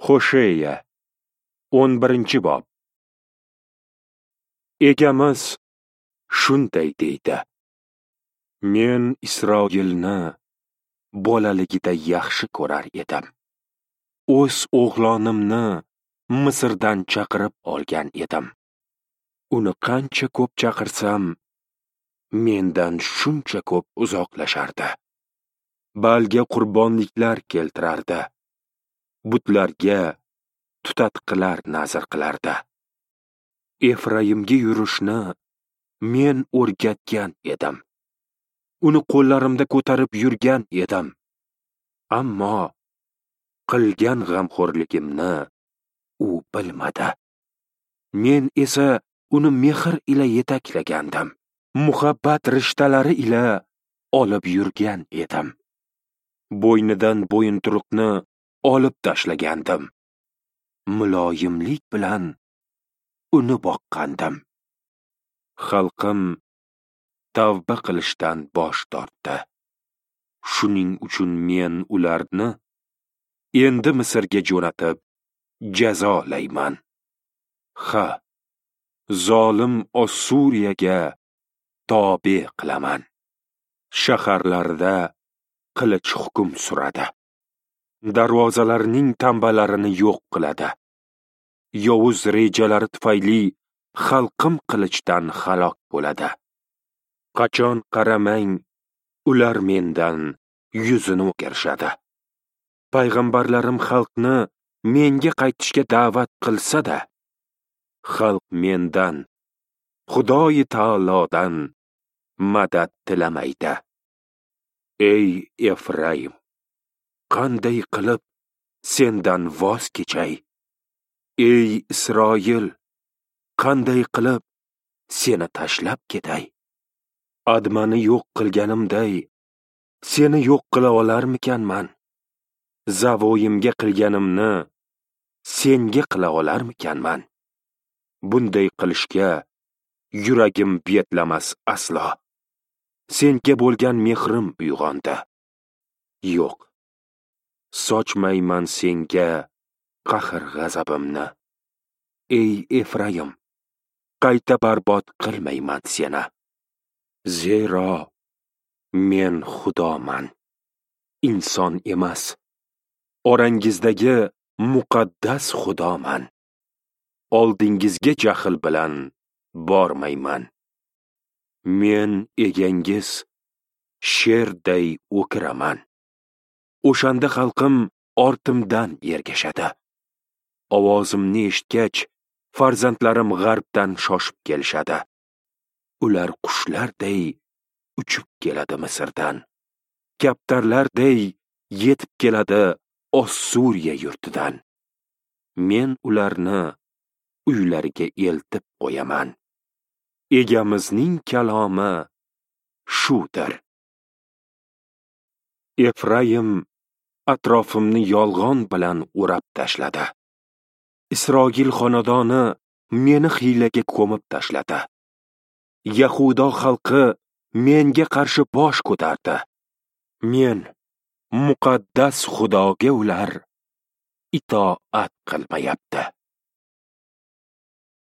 Hosheya 11-bob. Egamiz shunday deydi: Men Isroilni bolaligida yaxshi ko'rar edim. O'z o'g'lonimni Misrdan chaqirib olgan edim. Uni qancha ko'p chaqirsam, mendan shuncha ko'p uzoqlashardi. Balga qurbonliklar keltirardi. Butlarga tutatqilar nazr qilardi. Efraimga yurishni men o'rgatgan edim. Uni qo'llarimda ko'tarib yurgan edim. Ammo qilgan g'amxo'rligimni u bilmadi. Men esa uni mehr ila yetaklagandim. Muhabbat rishtalari ila olib yurgan edim. Bo'ynidan bo'yinturuqni olib tashlagandim. Muloyimlik bilan uni boqqandim. Xalqim tavba qilishdan bosh tortdi. Shuning uchun men ularni endi Misrga jo'natib jazolayman. Ha, zolim Ossuriyaga tobe qilaman. Shaharlarda qilich hukm suradi. Darvozalarning tambalarini yo'q qiladi. Yovuz rejalari tufayli xalqim qilichdan halok bo'ladi. Qachon qaramang, ular mendan yuzini o'girishadi. Payg'ambarlarim xalqni menga qaytishga da'vat qilsa-da, xalq mendan, Xudoyi taolodan madad tilamaydi. Ey Efraim, qanday qilib sendan voz kechay? Ey Isroil, qanday qilib seni tashlab ketay? Admani yo'q qilganimday, seni yo'q qila olarmikanman? Zavoyimga qilganimni senga qila olarmikanman? Bunday qilishga yuragim betlamas aslo. Senga bo'lgan mehrim uyg'ondi. Yo'q, sochmayman senga qahr g'azabimni. Ey Efraim, qayta barbod qilmayman seni. Zero men Xudoman, inson emas. Orangizdagi muqaddas Xudoman. Oldingizga jahl bilan bormayman. Men egangiz sherday o'kiraman. O'shanda xalqim ortimdan ergashadi. Ovozimni eshitgach, farzandlarim g'arbdan shoshib kelishadi. Ular qushlarday uchib keladi Misrdan. Kaptarlarday yetib keladi Ossuriya yurtidan. Men ularni uylariga eltib qo'yaman. Egamizning kalomi shudir. Efraim atrofimni yolg'on bilan o'rab tashladi. Isroil xonadoni meni hiylaga ko'mib tashladi. Yahudo xalqi menga qarshi bosh ko'tardi. Men muqaddas Xudoga ular itoat qilmayapti.